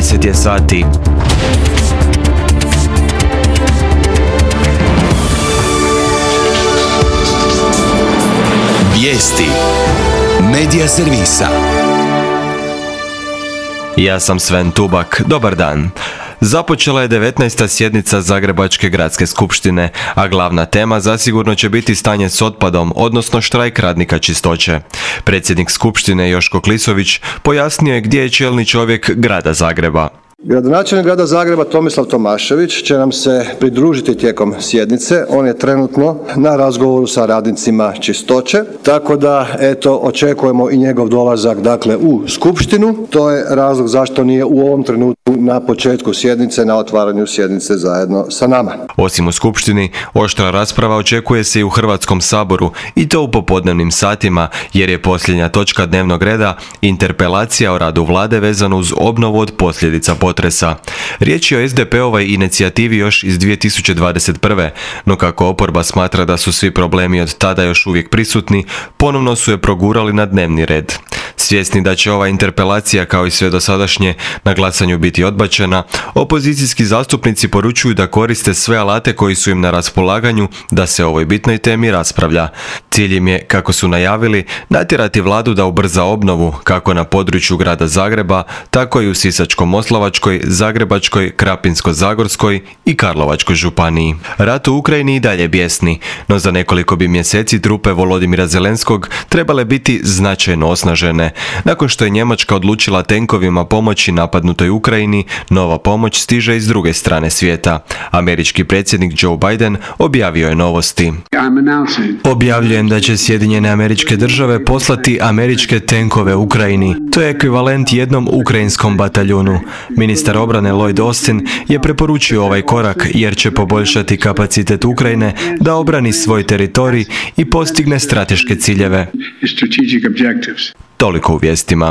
10 je sati. Vijesti Medija servisa. Ja sam Sven Tubak, dobar dan. Započela je 19. sjednica Zagrebačke gradske skupštine, a glavna tema zasigurno će biti stanje s otpadom, odnosno štrajk radnika čistoće. Predsjednik skupštine Joško Klisović pojasnio je gdje je čelni čovjek grada Zagreba. Gradonačelnik grada Zagreba Tomislav Tomašević će nam se pridružiti tijekom sjednice. On je trenutno na razgovoru sa radnicima čistoće, tako da očekujemo i njegov dolazak u skupštinu. To je razlog zašto nije u ovom trenutku na početku sjednice, na otvaranju sjednice zajedno sa nama. Osim u skupštini, oštra rasprava očekuje se i u Hrvatskom saboru, i to u popodnevnim satima, jer je posljednja točka dnevnog reda interpelacija o radu vlade vezano uz obnovu od posljedica potresa. Riječ je o SDP-ovoj inicijativi još iz 2021. No kako oporba smatra da su svi problemi od tada još uvijek prisutni, ponovno su je progurali na dnevni red. Svjesni da će ova interpelacija kao i sve dosadašnje na glasanju biti odbačena, opozicijski zastupnici poručuju da koriste sve alate koji su im na raspolaganju da se o ovoj bitnoj temi raspravlja. Cilj im je, kako su najavili, natjerati vladu da ubrza obnovu kako na području grada Zagreba, tako i u Sisačko-moslavačkoj, Zagrebačkoj, Krapinsko-zagorskoj i Karlovačkoj županiji. Rat u Ukrajini i dalje bijesni, no za nekoliko bi mjeseci trupe Volodimira Zelenskog trebale biti značajno osnažene. Nakon što je Njemačka odlučila tenkovima pomoći napadnutoj Ukrajini, nova pomoć stiže iz druge strane svijeta. Američki predsjednik Joe Biden objavio je novosti. Objavljujem da će Sjedinjene Američke Države poslati američke tenkove Ukrajini. To je ekvivalent jednom ukrajinskom bataljunu. Ministar obrane Lloyd Austin je preporučio ovaj korak jer će poboljšati kapacitet Ukrajine da obrani svoj teritorij i postigne strateške ciljeve. Toliko u vijestima.